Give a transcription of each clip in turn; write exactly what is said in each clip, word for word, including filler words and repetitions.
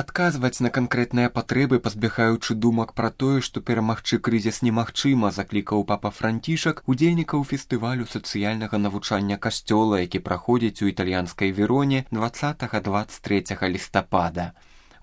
Адказваць на канкрэтныя патрэбы, пазбягаючы думак пра тое, што перамагчы крызіс немагчыма, заклікаў папа Францішак удзельнікаў фестывалю сацыяльнага навучання касцёла, які праходзіць у італьянскай Вероне дваццатага - дваццаць трэцяга лістапада.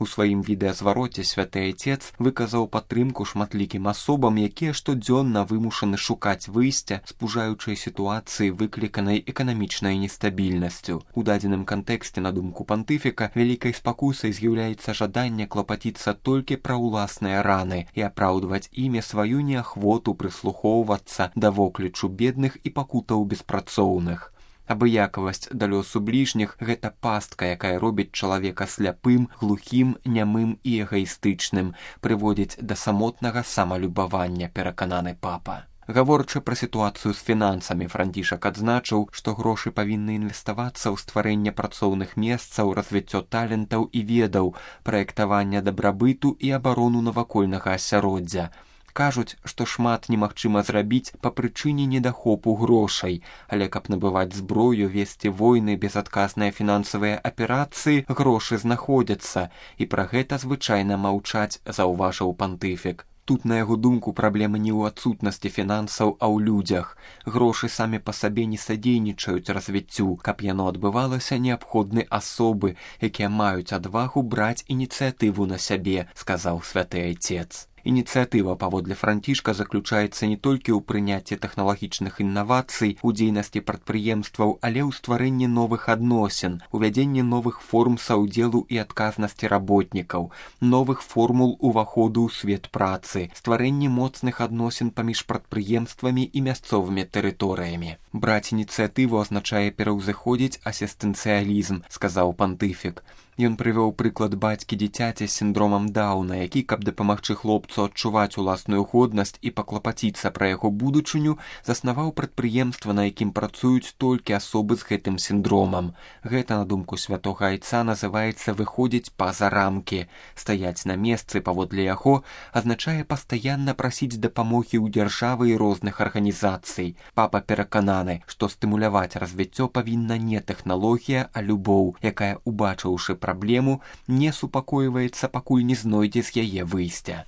У сваім відэазвароце святы айцец выказаў падтрымку шматлікім асобам, якія штодзённа вымушаны шукаць выйсця з пужаючай сітуацыі, выкліканай эканамічнай нестабільнасцю. У дадзеным кантэксце, на думку пантыфіка, вялікай спакусай з'яўляецца жаданне клапаціцца толькі пра ўласныя раны і апраўдваць імі сваю неахвоту прыслухоўвацца да воклічу бедных і пакутаў беспрацоўных. Абыякавасць да лёсу бліжніх – гэта пастка, якая робіць чалавека сляпым, глухім, нямым і эгаістычным, прыводзіць да самотнага самалюбавання, перакананы папа. Гаворачы пра сітуацыю з фінансамі, Францішак адзначыў, што грошы павінны інвеставацца ў стварэнне працоўных месцаў, развіццё талентаў і ведаў, праектавання дабрабыту і абарону навакольнага асяроддзя. Кажуць, што шмат немагчыма зрабіць па прычыне недахопу грошай, але каб набываць зброю, весці войны, безадказныя фінансавыя аперацыі, грошы знаходзяцца, і пра гэта звычайна маўчаць, заўважыў пантыфік. Тут, на яго думку, праблема не ў адсутнасці фінансаў, а ў людзях. Грошы самі па сабе не садзейнічаюць развіццю. Каб яно адбывалася, неабходны асобы, якія маюць адвагу браць ініцыятыву на сябе, сказаў святы айцец. Ініцыятыва, паводле Францішка, заключаецца не толькі ў прыняцці тэхналагічных інавацый, у дзейнасці прадпрыемстваў, але ў стварэнні новых адносін, увядзенні новых форм саўдзелу і адказнасці работнікаў, новых формул уваходу ў свет працы, стварэнні моцных адносін паміж прадпрыемствамі і мясцовымі тэрыторыямі. Браць ініцыятыву азначае пераўзыходзіць асістэнцыялізм, сказаў пантыфік. Ён прывёў прыклад бацькі дзіцяці з сіндромам Даўна, які, каб дапамагчы хлопцу адчуваць уласную годнасць і паклапаціцца пра яго будучыню, заснаваў прадпрыемства, на якім працуюць толькі асобы з гэтым сіндромам. Гэта, на думку святога айца, называецца выходзіць па-за рамкі. Стаяць на месцы паводле яго азначае пастаянна прасіць дапамогі ў дзяржавы і розных арганізацый. Папа перакананы, што стымуляваць развіццё павінна не тэхналогія, а любоў, якая, убачыўшы праблему, не супакойваецца, пакуль не знойдзе з яе выйсця.